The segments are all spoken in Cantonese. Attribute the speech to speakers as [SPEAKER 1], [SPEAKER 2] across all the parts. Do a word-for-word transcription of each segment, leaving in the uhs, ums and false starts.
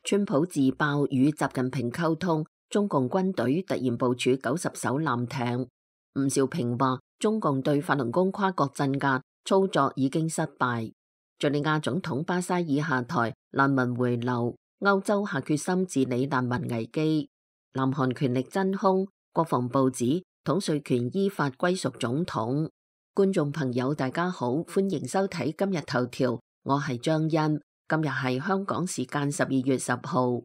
[SPEAKER 1] 川普自爆與習近平溝通，中共軍隊突然部署九十艘艦艇。吳兆平話，中共對法輪功跨國鎮壓操作已經失敗。敘利亞總統巴沙爾下台，難民回流，歐洲下決心治理難民危機。南韓權力真空，國防部指統帥權依法歸屬總統。觀眾朋友大家好，歡迎收睇今日頭條，我係張欣。今日係香港時間十二月十號。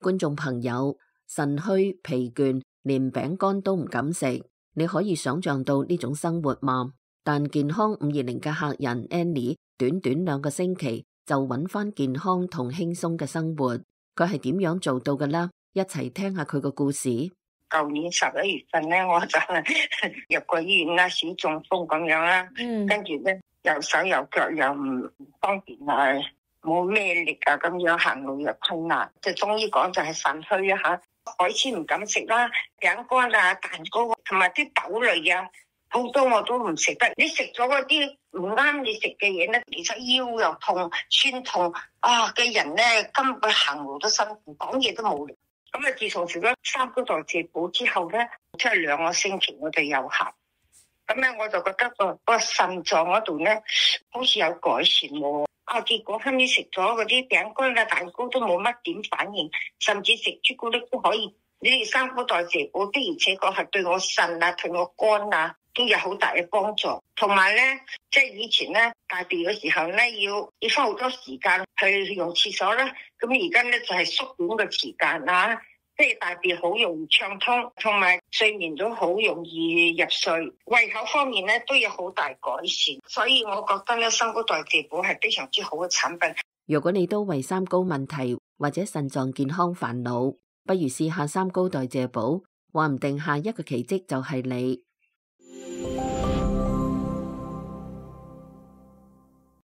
[SPEAKER 1] 觀眾朋友，腎虛疲倦，連餅乾都唔敢食，你可以想象到呢種生活嗎？但健康五二零嘅客人 Annie 短短兩個星期就揾翻健康同輕鬆嘅生活，佢係點樣做到嘅呢？一齊聽下佢個故事。
[SPEAKER 2] 舊年十一月份咧，我就入過醫院啦，小中風咁樣啦，嗯、跟住咧右手右腳又唔方便啊，冇咩力啊，咁樣行路又困難，即係中醫講就係腎虛啊吓，海鮮唔敢食啦，餅乾啊、蛋糕同埋啲豆類啊，好多我都唔食得。你食咗嗰啲唔啱你食嘅嘢咧，其實腰又痛、酸痛啊嘅人咧，根本行路都辛苦，講嘢都冇力。咁啊，自從食咗三高代謝補之後咧，即係兩個星期我哋有效。咁咧我就覺得個個腎臟嗰度咧，好似有改善喎。啊，結果後尾食咗嗰啲餅乾啊、蛋糕都冇乜點反應，甚至食朱古力都可以。呢啲三高代謝補的而且確係對我腎啊、對我肝啊都有好大嘅幫助。同埋咧，即係以前咧大便嘅時候咧，要要花好多時間去用廁所啦。咁而家咧就係縮短個時間啦，即係大便好容易暢通，同埋睡眠都好容易入睡。胃口方面咧都有好大改善，所以我覺得咧三高代謝補係非常之好嘅產品。
[SPEAKER 1] 如果你都為三高問題或者腎臟健康煩惱，不如試下三高代謝補，話唔定下一個奇蹟就係你。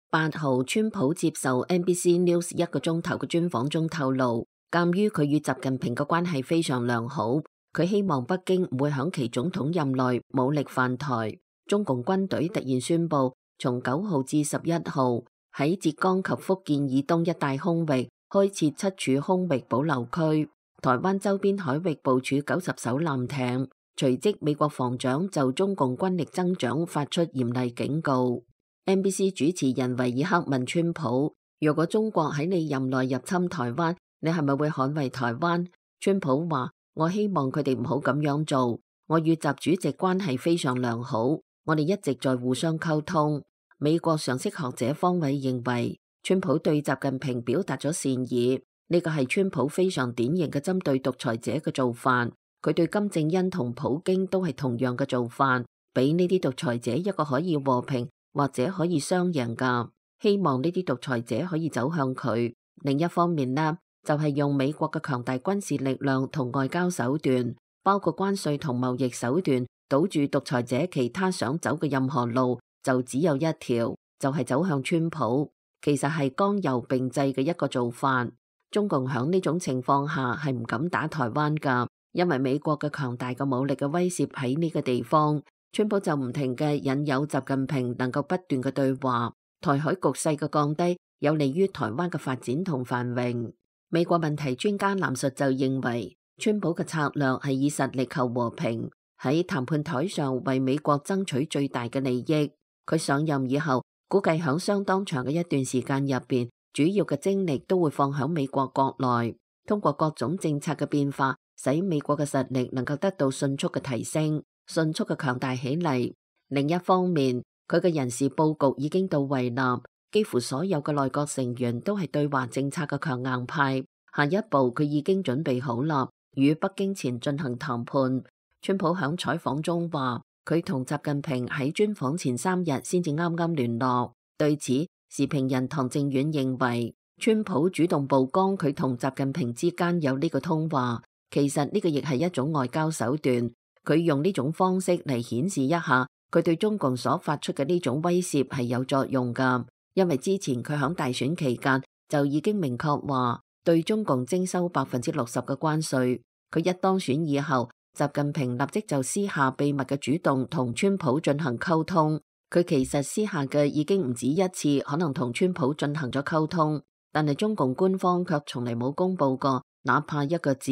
[SPEAKER 1] 八號，川普接受 N B C News 一個鐘頭嘅專訪中透露，鑒於佢與習近平嘅關係非常良好，佢希望北京唔會響其總統任內武力犯台。中共軍隊突然宣布，從九號至十一號喺浙江及福建以東一帶空域開設七處空域保留區，台灣周邊海域部署九十艘艦艇。隨即，美國防長就中共軍力增長發出嚴厲警告。N B C 主持人維爾克問川普：如果中國喺你任內入侵台灣，你係咪會捍衛台灣？川普話：我希望佢哋唔好咁樣做。我與習主席關係非常良好，我哋一直在互相溝通。美國常識學者方偉認為，川普對習近平表達咗善意，呢個係川普非常典型嘅針對獨裁者嘅做法。佢對金正恩同普京都係同樣嘅做法，俾呢啲獨裁者一個可以和平或者可以雙贏噶，希望呢啲獨裁者可以走向佢。另一方面呢，就係用美國嘅強大軍事力量同外交手段，包括關稅同貿易手段，堵住獨裁者其他想走嘅任何路，就只有一條，就係走向川普。其實係剛柔並濟嘅一個做法。中共響呢種情況下係唔敢打台灣噶，因為美國嘅強大嘅武力嘅威懾喺呢個地方。川普就唔停嘅引誘習近平能夠不斷嘅對話，台海局勢嘅降低有利於台灣嘅發展同繁榮。美國問題專家藍述就認為，川普嘅策略係以實力求和平，喺談判台上為美國爭取最大嘅利益。佢上任以後，估計響相當長嘅一段時間入邊，主要嘅精力都會放響美國國內，通過各種政策嘅變化，使美國嘅實力能夠得到迅速嘅提升。迅速嘅強大起嚟。另一方面，佢嘅人事佈局已經到位啦，幾乎所有嘅內閣成員都係對華政策嘅強硬派。下一步佢已經準備好啦，與北京前進行談判。川普響採訪中話，佢同習近平喺專訪前三日先至啱啱聯絡。對此，時評人唐正遠認為，川普主動曝光佢同習近平之間有呢個通話，其實呢個亦係一種外交手段。佢用呢種方式嚟顯示一下，佢對中共所發出嘅呢種威懾係有作用㗎。因為之前佢響大選期間就已經明確話對中共徵收百分之六十嘅關稅。佢一當選以後，習近平立即就私下秘密嘅主動同川普進行溝通。佢其實私下嘅已經唔止一次，可能同川普進行咗溝通。但係中共官方卻從嚟冇公佈過哪怕一個字。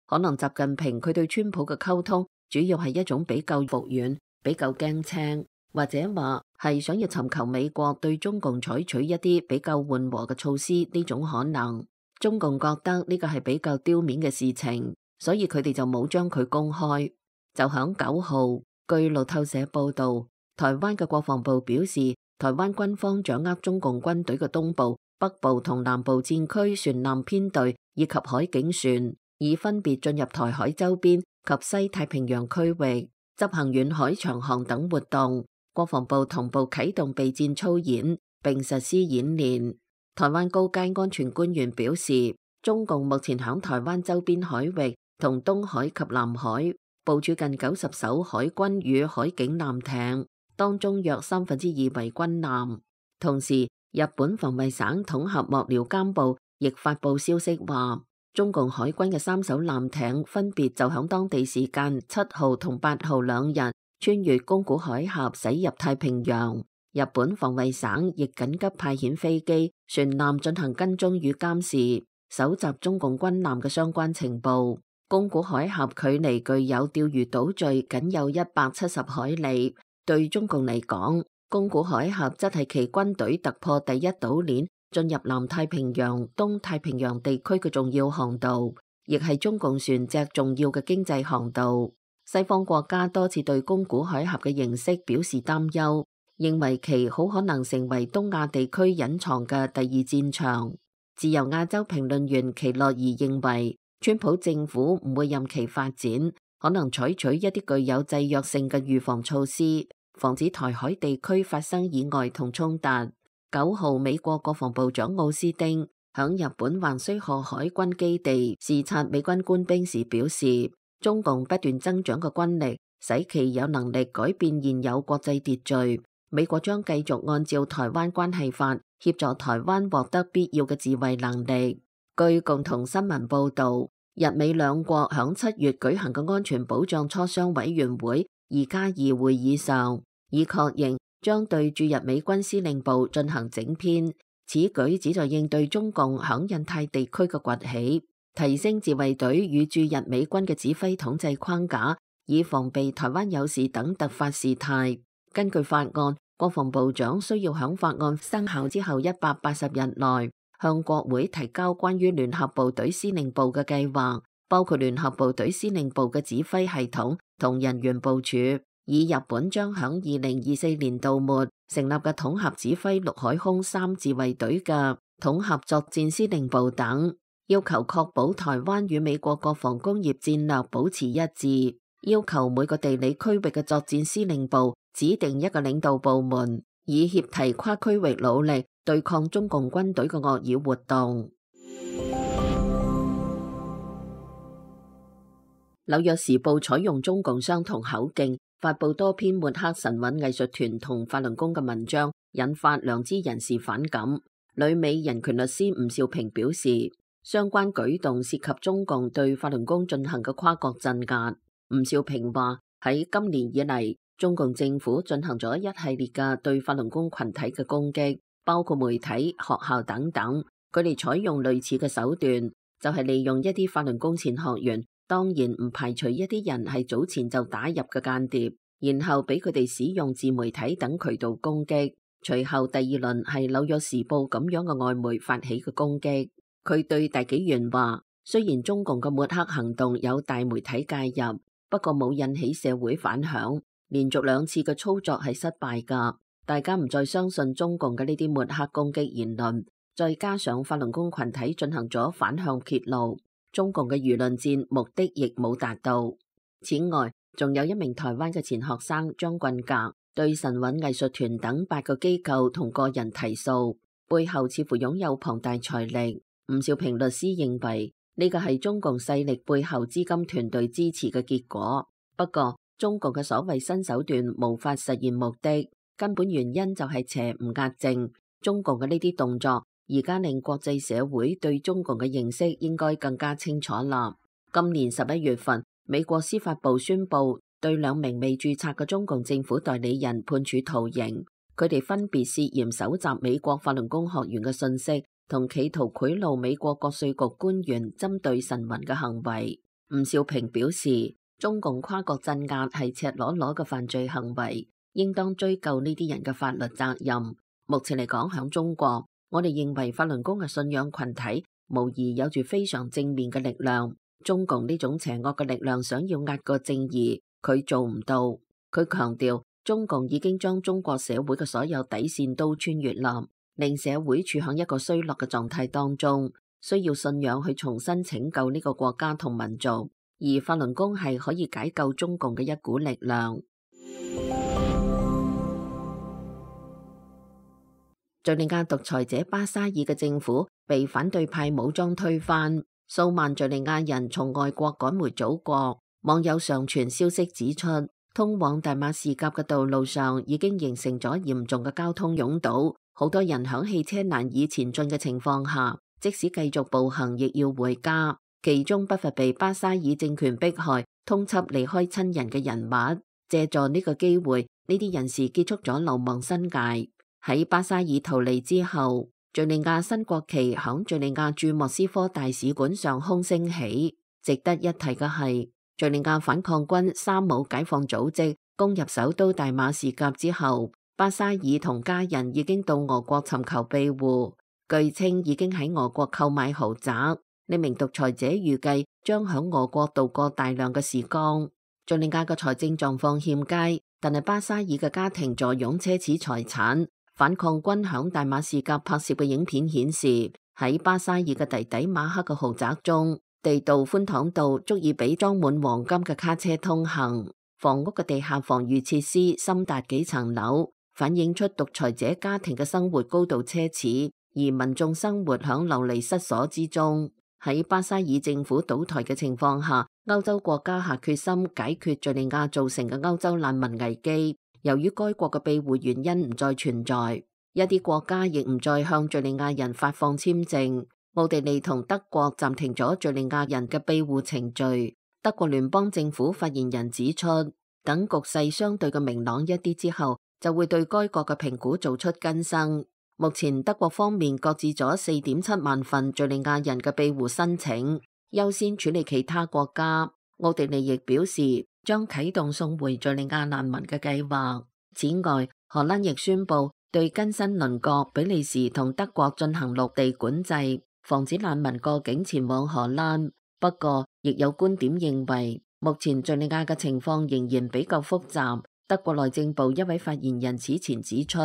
[SPEAKER 1] 可能習近平佢對川普嘅溝通主要係一種比較服軟、比較驚青，或者話係想要尋求美國對中共採取一啲比較緩和嘅措施呢種可能。中共覺得呢個係比較丟面嘅事情，所以佢哋就冇將佢公開。就響九號，據路透社報道，台灣嘅國防部表示，台灣軍方掌握中共軍隊嘅東部、北部同南部戰區船艦編隊以及海警船，已分別進入台海周邊及西太平洋區域，執行遠海長航等活動。國防部同步啟動備戰操演並實施演練。台灣高階安全官員表示，中共目前響台灣周邊海域同東海及南海部署近九十艘海軍與海警艦艇，當中約三分之二為軍艦。同時，日本防衛省統合幕僚監部亦發布消息話，中共海軍嘅三艘艦艇分別就響當地時間七號同八號兩日穿越宮古海峽駛入太平洋。日本防衛省亦緊急派遣飛機、船艦進行跟蹤與監視，搜集中共軍艦嘅相關情報。宮古海峽距離具有釣魚島嶼僅有一百七十海里，對中共嚟講，宮古海峽則係其軍隊突破第一島鏈進入南太平洋、東太平洋地區嘅重要航道，亦係中共船隻重要嘅經濟航道。西方國家多次對宮古海峽嘅形勢表示擔憂，認為其好可能成為東亞地區隱藏嘅第二戰場。自由亞洲評論員奇洛爾認為，川普政府唔會任其發展，可能採取一啲具有制約性嘅預防措施，防止台海地區發生意外同衝突。九號，美國國防部長奧斯汀響日本橫須賀海軍基地視察美軍官兵時表示，中共不斷增長嘅軍力使其有能力改變現有國際秩序。美國將繼續按照台灣關係法協助台灣獲得必要嘅自衛能力。據共同新聞報道，日美兩國響七月舉行嘅安全保障磋商委員會二加二會議上，已確認將對駐日美軍司令部進行整編。此舉旨在應對中共響印太地區嘅崛起，提升自衛隊與駐日美軍嘅指揮統制框架，以防備台灣有事等突發事態。根據法案，國防部長需要響法案生效之後一百八十日內向國會提交關於聯合部隊司令部嘅計劃，包括聯合部隊司令部嘅指揮系統同人員部署，以日本將響二零二四年度末成立嘅統合指揮陸海空三自衛隊嘅統合作戰司令部等，要求確保台灣與美國國防工業戰略保持一致，要求每個地理區域嘅作戰司令部指定一個領導部門，以協提跨區域努力對抗中共軍隊嘅惡意活動。紐約時報採用中共相同口徑，發布多篇抹黑神韻藝術團同法輪功嘅文章，引發良知人士反感。旅美人權律師吳兆平表示，相關舉動涉及中共對法輪功進行嘅跨國鎮壓。吳兆平話，喺今年以嚟，中共政府進行咗一系列嘅對法輪功群體嘅攻擊，包括媒體、學校等等。佢哋採用類似嘅手段，就係利用一啲法輪功前學員，當然唔排除一啲人係早前就打入嘅間諜，然後俾佢哋使用自媒體等渠道攻擊。隨後第二輪係紐約時報咁樣嘅外媒發起嘅攻擊。佢對大紀元話，雖然中共嘅抹黑行動有大媒體介入，不過冇引起社會反響。連續兩次嘅操作係失敗㗎，大家唔再相信中共嘅呢啲抹黑攻擊言論，再加上法輪功群體進行咗反向揭露，中共嘅輿論戰目的亦冇達到。此外，仲有一名台灣嘅前學生張棍格對神韻藝術團等八個機構同個人提訴，背後似乎擁有龐大財力。吳兆平律師認為呢個係中共勢力背後資金團隊支持嘅結果，不過中共嘅所謂新手段無法實現目的，根本原因就係邪唔壓正。中共嘅呢啲動作而家令國際社會對中共嘅認識應該更加清楚啦。今年十一月份，美國司法部宣布對兩名未註冊嘅中共政府代理人判處徒刑，佢哋分別涉嫌搜集美國法輪功學員嘅信息同企圖賄賂美國國稅局官員針對臣民嘅行為。吳兆平表示，中共跨國鎮壓係赤裸裸嘅犯罪行為，應當追究呢啲人嘅法律責任。目前嚟講，響中國，我哋認為法輪功嘅信仰群體無疑有住非常正面嘅力量。中共呢種邪惡嘅力量想要壓過正義，佢做唔到。佢強調，中共已經將中國社會嘅所有底線都穿越啦，令社會處喺一個衰落嘅狀態當中，需要信仰去重新拯救呢個國家同民族。而法輪功係可以解救中共嘅一股力量。敘利亞獨裁者巴沙爾嘅政府被反對派武裝推翻，數萬敘利亞人從外國趕回祖國。網友上傳消息指出，通往大馬士革嘅道路上已經形成咗嚴重嘅交通擁堵，好多人響汽車難以前進嘅情況下，即使繼續步行亦要回家。其中不乏被巴沙爾政權迫害、通緝離開親人嘅人物。借助呢個機會，呢啲人士結束咗流亡生涯。喺巴沙爾逃離之後，敘利亞新國旗響敘利亞駐莫斯科大使館上空升起。值得一提嘅係，敘利亞反抗軍沙姆解放組織攻入首都大馬士革之後，巴沙爾同家人已經到俄國尋求庇護，據稱已經喺俄國購買豪宅。呢名獨裁者預計將響俄國度過大量嘅時光。敘利亞嘅財政狀況欠佳，但係巴沙爾嘅家庭坐擁奢侈財產。反抗軍響大馬士革拍攝嘅影片顯示，喺巴沙爾嘅弟弟馬克嘅豪宅中，地道寬敞到足以俾裝滿黃金嘅卡車通行。房屋嘅地下防禦設施深達幾層樓，反映出獨裁者家庭嘅生活高度奢侈，而民眾生活響流離失所之中。喺巴沙爾政府倒台嘅情況下，歐洲國家下決心解決敘利亞造成嘅歐洲難民危機。由於該國嘅庇護原因唔再存在，一啲國家亦唔再向敘利亞人發放簽證。奧地利同德國暫停咗敘利亞人嘅庇護程序。德國聯邦政府發言人指出，等局勢相對嘅明朗一啲之後，就會對該國嘅評估做出更新。目前德國方面擱置咗四點七萬份敘利亞人嘅庇護申請，優先處理其他國家。奧地利亦表示將啟動送回敘利亞難民嘅計劃。此外，荷蘭亦宣布對更新鄰國比利時同德國進行陸地管制，防止難民過境前往荷蘭。不過，亦有觀點認為，目前敘利亞嘅情況仍然比較複雜。德國內政部一位發言人此前指出，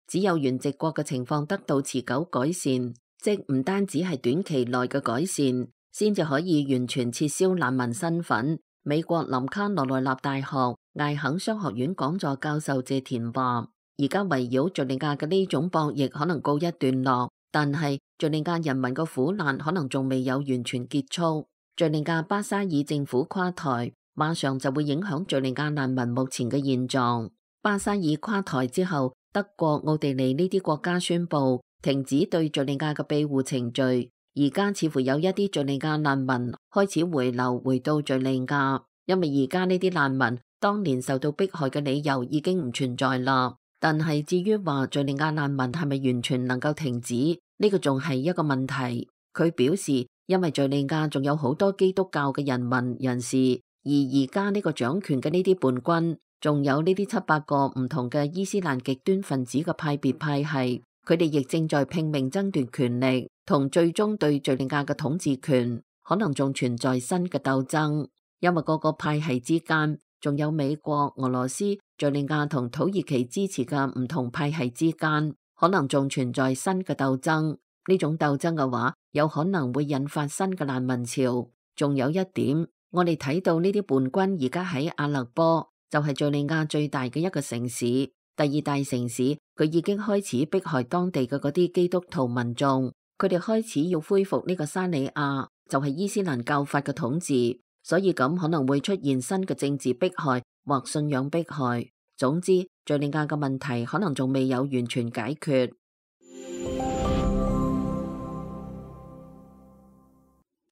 [SPEAKER 1] 只有原籍國嘅情況得到持久改善，即唔單止係短期內嘅改善，先至可以完全撤銷難民身份。美國林卡羅來納大學艾肯商學院講座教授謝田話，而家圍繞敘利亞嘅呢種博弈可能告一段落，但係敘利亞人民嘅苦難可能仲未有完全結束。敘利亞巴沙爾政府垮台，馬上就會影響敘利亞難民目前嘅現狀。巴沙爾垮台之後，德國、奧地利呢啲國家宣布停止對敘利亞嘅庇護程序。而家似乎有一啲敘利亞難民開始回流回到敘利亞，因為而家呢啲難民當年受到迫害嘅理由已經唔存在啦。但係至於話敘利亞難民係咪完全能夠停止，呢個仲係一個問題。佢表示，因為敘利亞仲有好多基督教嘅人民人士，而而家呢個掌權嘅呢啲叛軍，仲有呢啲七八個唔同嘅伊斯蘭極端分子嘅派別派系，佢哋亦正在拼命爭奪權力，同最終對敘利亞嘅統治權可能仲存在新嘅鬥爭，因為各個派系之間仲有美國、俄羅斯、敘利亞同土耳其支持嘅唔同派系之間可能仲存在新嘅鬥爭。呢種鬥爭嘅話，有可能會引發新嘅難民潮。仲有一點，我哋睇到呢啲叛軍而家喺阿勒波，就係敘利亞最大嘅一個城市，第二大城市，佢已經開始迫害當地嘅嗰啲基督徒民眾。佢哋開始要恢復呢個沙里亞，就係伊斯蘭教法嘅統治，所以咁可能會出現新嘅政治迫害或信仰迫害。總之，敘利亞嘅問題可能仲未有完全解決。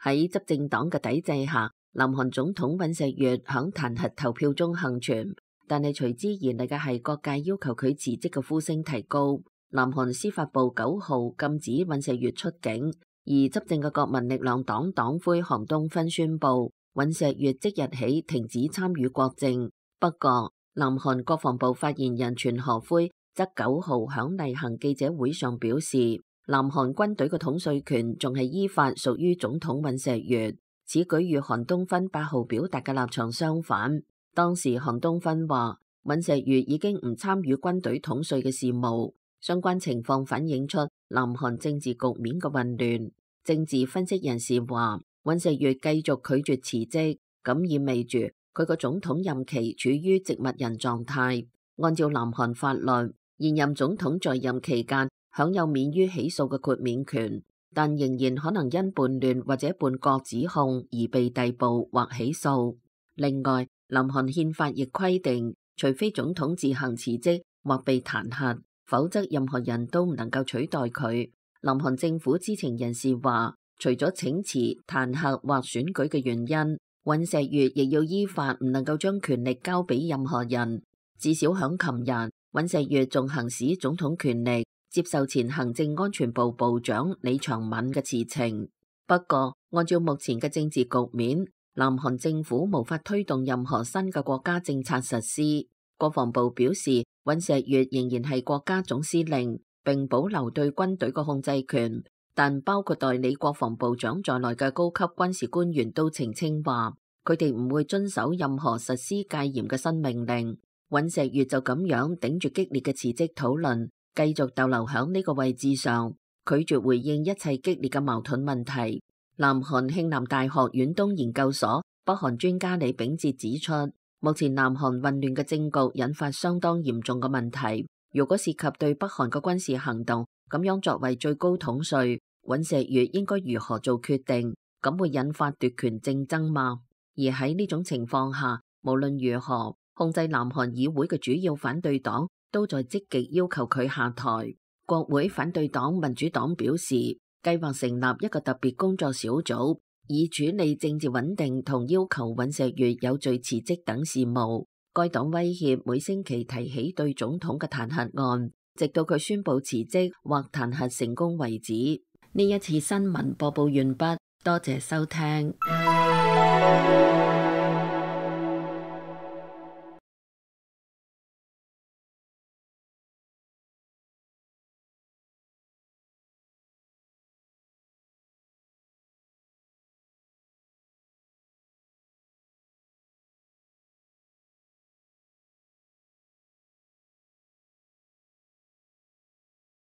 [SPEAKER 1] 喺執政黨嘅抵制下，南韓總統尹錫悅響彈劾投票中幸存，但係隨之而嚟嘅係各界要求佢辭職嘅呼聲提高。南韓司法部九號禁止尹錫悅出境，而執政嘅國民力量黨黨魁韓東勳宣布尹錫悅即日起停止參與國政。不過，南韓國防部發言人全河輝則九號響例行記者會上表示，南韓軍隊嘅統帥權仲係依法屬於總統尹錫悅。此舉與韓東勳八號表達嘅立場相反。當時韓東勳話，尹錫悅已經唔參與軍隊統帥嘅事務。相關情況反映出南韓政治局面嘅混亂。政治分析人士話，尹錫悅繼續拒絕辭職，咁意味住佢個總統任期處於植物人狀態。按照南韓法律，現任總統在任期間享有免於起訴嘅豁免權，但仍然可能因叛亂或者叛國指控而被逮捕或起訴。另外，南韓憲法亦規定，除非總統自行辭職或被彈劾，否則任何人都唔能夠取代佢。南韓政府知情人士話，除咗請辭、彈劾或選舉嘅原因，尹錫悅亦要依法唔能夠將權力交俾任何人。至少響琴日，尹錫悅仲行使總統權力，接受前行政安全部部長李長敏嘅辭呈。不過，按照目前嘅政治局面，南韓政府無法推動任何新嘅國家政策實施。國防部表示，尹錫悅仍然係國家總司令，並保留對軍隊嘅控制權，但包括代理國防部長在內嘅高級軍事官員都澄清話，佢哋唔會遵守任何實施戒嚴嘅新命令。尹錫悅就咁樣頂住激烈嘅辭職討論，繼續逗留響呢個位置上，拒絕回應一切激烈嘅矛盾問題。南韓慶南大學遠東研究所北韓專家李炳哲指出，目前南韓混亂嘅政局引發相當嚴重嘅問題。如果涉及對北韓嘅軍事行動，咁樣作為最高統帥，尹錫悅應該如何做決定？咁會引發奪權競爭嗎？而喺呢種情況下，無論如何，控制南韓議會嘅主要反對黨都在積極要求佢下台。國會反對黨民主黨表示，計劃成立一個特別工作小組，以處理政治穩定同要求尹錫悅有序辭職等事務。該黨威脅每星期提起對總統嘅彈劾案，直到佢宣布辭職或彈劾成功為止。呢一次新聞播報完畢，多謝收聽。